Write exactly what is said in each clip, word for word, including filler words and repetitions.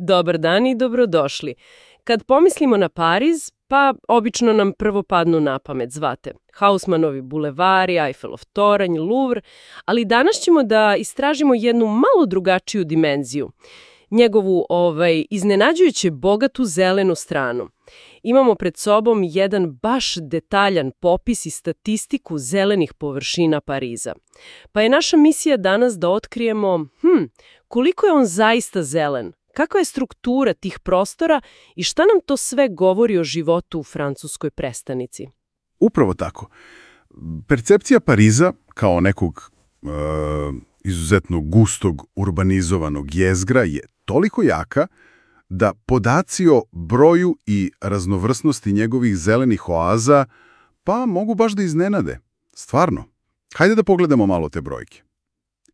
Dobar dan i dobrodošli. Kad pomislimo na Pariz, pa obično nam prvo padnu na pamet, zvate. Haussmannovi bulevari, Eiffelov toranj, Louvre, ali danas ćemo da istražimo jednu malo drugačiju dimenziju. Njegovu ovaj, iznenađujuće bogatu zelenu stranu. Imamo pred sobom jedan baš detaljan popis i statistiku zelenih površina Pariza. Pa je naša misija danas da otkrijemo hm, koliko je on zaista zelen, kakva je struktura tih prostora i šta nam to sve govori o životu u francuskoj prestonici. Upravo tako. Percepcija Pariza kao nekog e, izuzetno gustog, urbanizovanog jezgra je toliko jaka da podaci o broju i raznovrsnosti njegovih zelenih oaza pa mogu baš da iznenade. Stvarno. Hajde da pogledamo malo te brojke.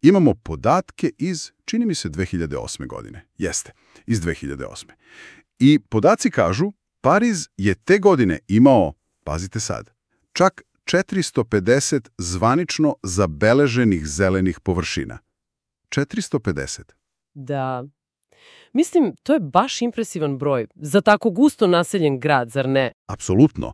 Imamo podatke iz, čini mi se, dve hiljade osme godine. Jeste, iz dve hiljade osme. I podaci kažu, Pariz je te godine imao, pazite sad, čak četiristo pedeset zvanično zabeleženih zelenih površina. četiristo pedeset. Da. Mislim, to je baš impresivan broj za tako gusto naseljen grad, zar ne? Apsolutno.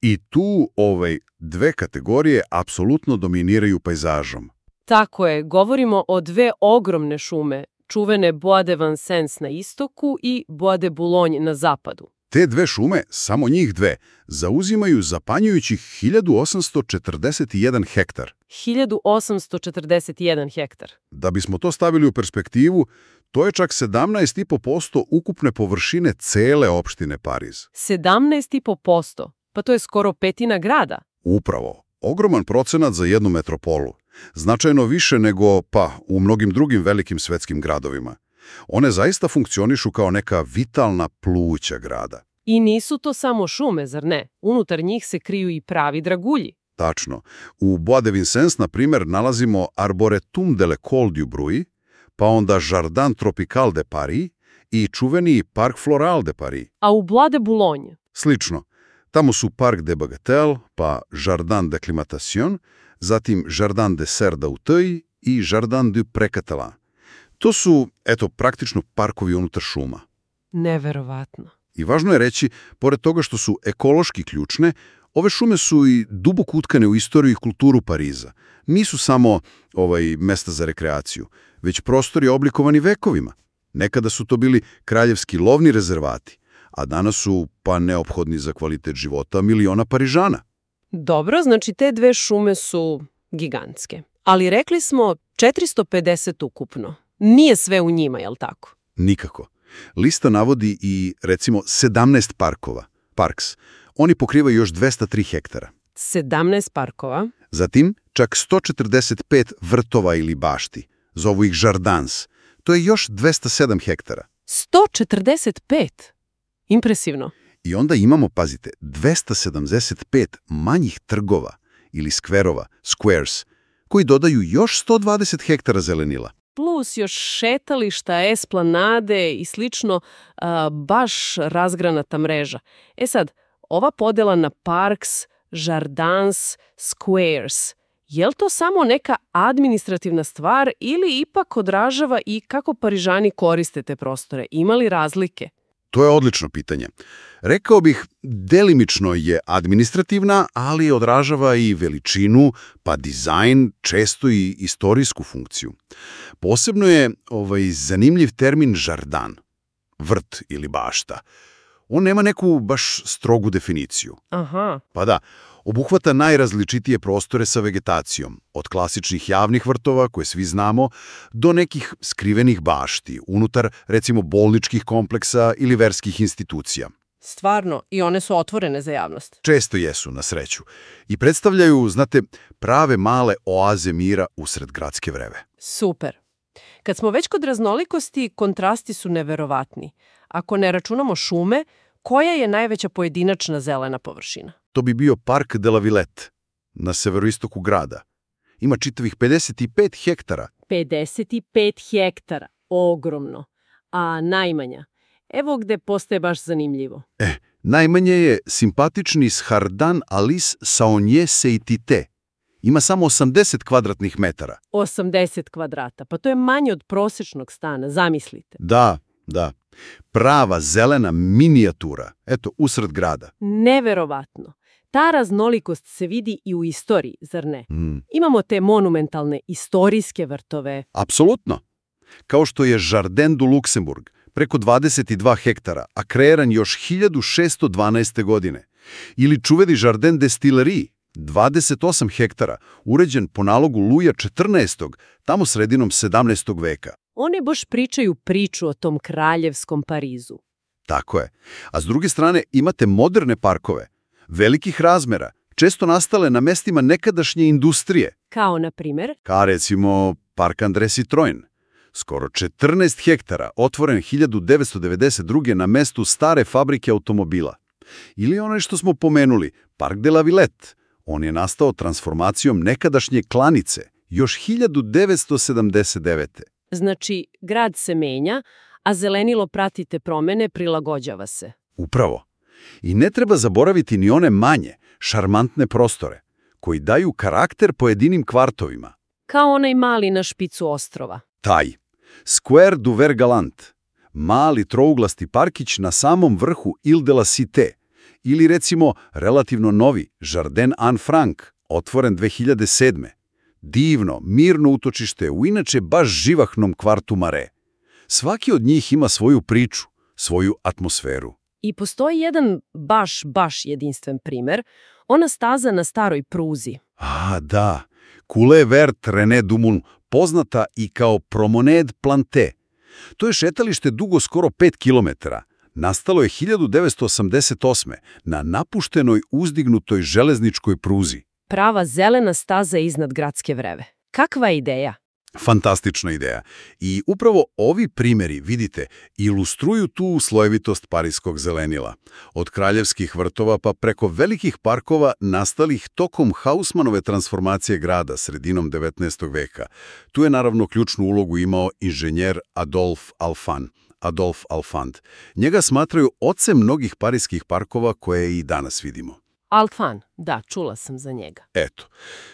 I tu ovaj, dve kategorije apsolutno dominiraju pejzažom. Tako je, govorimo o dve ogromne šume, čuvene Bois de Vincennes na istoku i Bois de Boulogne na zapadu. Te dve šume, samo njih dve, zauzimaju zapanjujućih hiljadu osamsto četrdeset jedan hektar. hiljadu osamsto četrdeset jedan hektar. Da bismo to stavili u perspektivu, to je čak sedamnaest zarez pet posto ukupne površine cele opštine Pariz. sedamnaest zarez pet posto? Pa to je skoro petina grada. Upravo. Ogroman procenat za jednu metropolu. Značajno više nego, pa, u mnogim drugim velikim svetskim gradovima. One zaista funkcionišu kao neka vitalna pluća grada. I nisu to samo šume, zar ne? Unutar njih se kriju i pravi dragulji. Tačno. U Bois de Vincennes, na primjer, nalazimo Arboretum de l'École du Bruit, pa onda Jardin Tropical de Paris i čuveni Parc Floral de Paris. A u Bois de Boulogne? Slično. Tamo su Parc de Bagatelle, pa Jardin d'Acclimatation, zatim Jardin de Serre d'Auteuil i Jardin du Pré-Catalan. To su, eto, praktično parkovi unutar šuma. Neverovatno. I važno je reći, pored toga što su ekološki ključne, ove šume su i duboko utkane u istoriju i kulturu Pariza. Nisu samo ovaj, mesta za rekreaciju, već prostori oblikovani vekovima. Nekada su to bili kraljevski lovni rezervati, a danas su pa neophodni za kvalitet života miliona Parižana. Dobro, znači te dve šume su gigantske. Ali rekli smo četiristo pedeset ukupno. Nije sve u njima, jel tako? Nikako. Lista navodi i, recimo, sedamnaest parkova, parks. Oni pokrivaju još dvesta tri hektara. sedamnaest parkova. Zatim, čak sto četrdeset pet vrtova ili bašti. Zovu ih jardins. To je još dvesta sedam hektara. sto četrdeset pet? Impresivno. I onda imamo, pazite, dvesta sedamdeset pet manjih trgova ili skverova, squares, koji dodaju još sto dvadeset hektara zelenila. Plus još šetališta, esplanade i slično, a, baš razgranata mreža. E sad, ova podela na parks, jardins, squares, je li to samo neka administrativna stvar ili ipak odražava i kako Parižani koriste te prostore? Ima li razlike? To je odlično pitanje. Rekao bih, delimično je administrativna, ali odražava i veličinu, pa dizajn, često i istorijsku funkciju. Posebno je ovaj zanimljiv termin žardan, vrt ili bašta. On nema neku baš strogu definiciju. Aha. Pa da, obuhvata najrazličitije prostore sa vegetacijom, od klasičnih javnih vrtova, koje svi znamo, do nekih skrivenih bašti, unutar, recimo, bolničkih kompleksa ili verskih institucija. Stvarno, i one su otvorene za javnost. Često jesu, na sreću. I predstavljaju, znate, prave male oaze mira usred gradske vreve. Super. Kad smo već kod raznolikosti, kontrasti su neverovatni. Ako ne računamo šume, koja je najveća pojedinačna zelena površina? To bi bio Parc de la Villette, na severoistoku grada. Ima čitavih pedeset pet hektara. pedeset pet hektara. Ogromno. A najmanja? Evo gde postaje baš zanimljivo. E, najmanje je simpatični Jardin Alice Saunier-Seitité. Ima samo osamdeset kvadratnih metara. osamdeset kvadrata. Pa to je manje od prosječnog stana, zamislite. Da, da. prava zelena minijatura, eto, usred grada. Neverovatno. Ta raznolikost se vidi i u istoriji, zar ne? Mm. Imamo te monumentalne istorijske vrtove. Apsolutno. Kao što je Jardin du Luxembourg, preko dvadeset dva hektara, a kreiran još hiljadu šesto dvanaeste. godine. Ili čuveni Jardin des Tuileries, dvadeset osam hektara, uređen po nalogu Luja četrnaestog, tamo sredinom sedamnaestog. veka. One baš pričaju priču o tom kraljevskom Parizu. Tako je. A s druge strane imate moderne parkove, velikih razmera, često nastale na mestima nekadašnje industrije. Kao, na primjer? Kao recimo Park André Citroën. Skoro četrnaest hektara, otvoren hiljadu devetsto devedeset druge. na mestu stare fabrike automobila. Ili onaj što smo pomenuli, Park de la Villette. On je nastao transformacijom nekadašnje klanice, još hiljadu devetsto sedamdeset devete. Znači, grad se menja, a zelenilo prati te promene, prilagođava se. Upravo. I ne treba zaboraviti ni one manje, šarmantne prostore, koji daju karakter pojedinim kvartovima. Kao onaj mali na špicu ostrova. Taj. Square du Ver Galant. Mali trouglasti parkić na samom vrhu Ile de la Cité. Ili recimo relativno novi Jardin Anne Frank, otvoren dve hiljade sedme. Divno, mirno utočište u inače baš živahnom kvartu Marais. Svaki od njih ima svoju priču, svoju atmosferu. I postoji jedan baš, baš jedinstven primer, ona staza na staroj pruzi. A, da. Coulée Verte René Dumont, poznata i kao Promenade Plantée. To je šetalište dugo skoro pet kilometara. Nastalo je hiljadu devetsto osamdeset osme. na napuštenoj uzdignutoj železničkoj pruzi. Prava zelena staza iznad gradske vreve. Kakva ideja? Fantastična ideja. I upravo ovi primjeri, vidite, ilustruju tu slojevitost parijskog zelenila. Od kraljevskih vrtova pa preko velikih parkova nastalih tokom Haussmannove transformacije grada sredinom devetnaestog. veka. Tu je naravno ključnu ulogu imao inženjer Adolphe Alphand. Adolphe Alphand. Njega smatraju ocem mnogih parijskih parkova koje i danas vidimo. Alphand, da, čula sam za njega. Eto,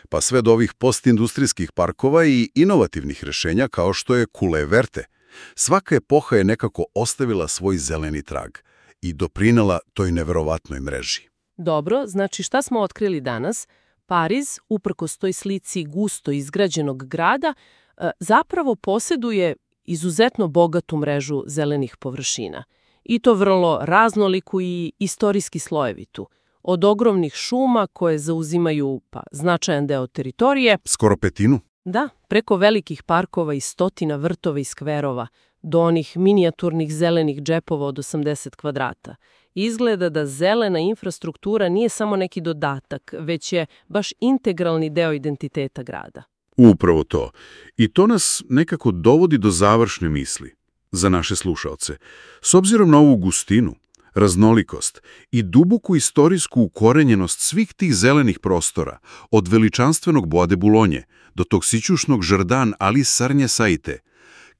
pa sve do ovih postindustrijskih parkova i inovativnih rešenja kao što je Coulée Verte. Svaka epoha je nekako ostavila svoj zeleni trag i doprinela toj neverovatnoj mreži. Dobro, znači šta smo otkrili danas? Pariz, uprkos toj slici gusto izgrađenog grada, zapravo posjeduje izuzetno bogatu mrežu zelenih površina. I to vrlo raznoliku i istorijski slojevitu. Od ogromnih šuma koje zauzimaju pa, značajan deo teritorije. Skoro petinu? Da, preko velikih parkova i stotina vrtova i skverova, do onih minijaturnih zelenih džepova od osamdeset kvadrata. Izgleda da zelena infrastruktura nije samo neki dodatak, već je baš integralni deo identiteta grada. Upravo to. I to nas nekako dovodi do završne misli za naše slušaoce. S obzirom na ovu gustinu, raznolikost i duboku istorijsku ukorenjenost svih tih zelenih prostora, od veličanstvenog Bois de Boulogne do tog sićušnog Jardin Alice Sarnje Saite,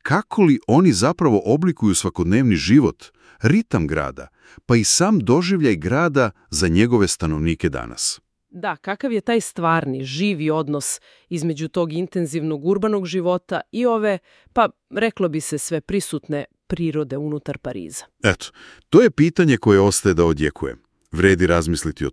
kako li oni zapravo oblikuju svakodnevni život, ritam grada, pa i sam doživljaj grada za njegove stanovnike danas. Da, kakav je taj stvarni, živi odnos između tog intenzivnog urbanog života i ove, pa reklo bi se sve prisutne, prirode unutar Pariza. Eto, to je pitanje koje ostaje da odjekuje. Vredi razmisliti o